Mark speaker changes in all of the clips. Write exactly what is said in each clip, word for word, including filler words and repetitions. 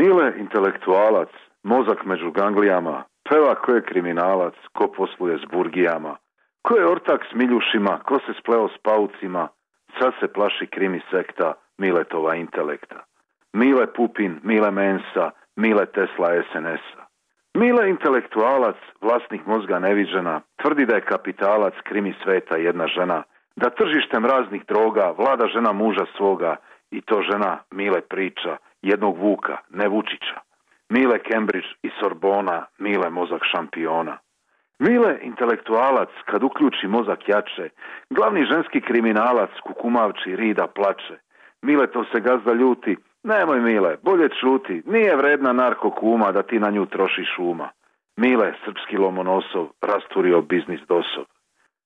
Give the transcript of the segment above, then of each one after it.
Speaker 1: Mile intelektualac, mozak među ganglijama, peva ko je kriminalac, ko posluje s burgijama, ko je ortak s miljušima, ko se spleo s paucima, sad se plaši krimi sekta Miletova intelekta. Mile Pupin, Mile Mensa, Mile Tesla es en es-a. Mile intelektualac, vlasnik mozga neviđena, tvrdi da je kapitalac krimi sveta jedna žena, da tržištem raznih droga vlada žena muža svoga i to žena Mile priča, jednog Vuka, ne Vučića. Mile Cambridge i Sorbona, Mile mozak šampiona. Mile intelektualac, kad uključi mozak jače, glavni ženski kriminalac kukumavči rida plače. Mile to se gazda ljuti, nemoj Mile, bolje čuti, nije vredna narko kuma da ti na nju trošiš uma. Mile, srpski lomonosov, rasturio biznis dosov.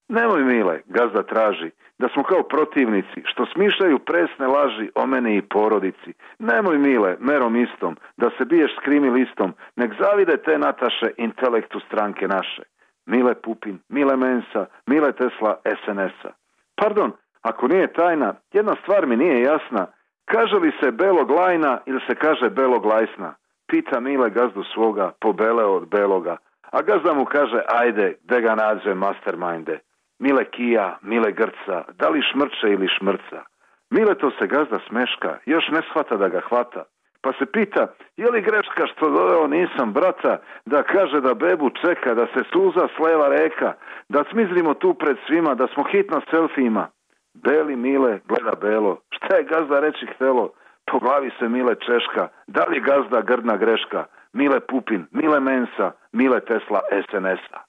Speaker 1: Nemoj Mile, gazda traži, da smo kao protivnici, što smišljaju presne laži o meni i porodici. Nemoj Mile, merom istom, da se biješ s krimi listom, nek zavide te Nataše intelektu stranke naše. Mile Pupin, Mile Mensa, Mile Tesla es en es-a. Pardon, ako nije tajna, jedna stvar mi nije jasna, kaže li se belog lajna ili se kaže belog lajsna? Pita Mile gazdu svoga, pobeleo od beloga, a gazda mu kaže, ajde, de ga nađe masterminde. Mile kija, Mile grca, da li šmrče ili šmrca. Mile to se gazda smeška, još ne shvata da ga hvata. Pa se pita, je li greška što doveo nisam brata, da kaže da bebu čeka, da se suza sleva reka, da smizrimo tu pred svima, da smo hitno selfijima. Beli Mile gleda belo, šta je gazda reći htelo? Po glavi se Mile češka, da li gazda grdna greška? Mile Pupin, Mile Mensa, Mile Tesla es en es-a.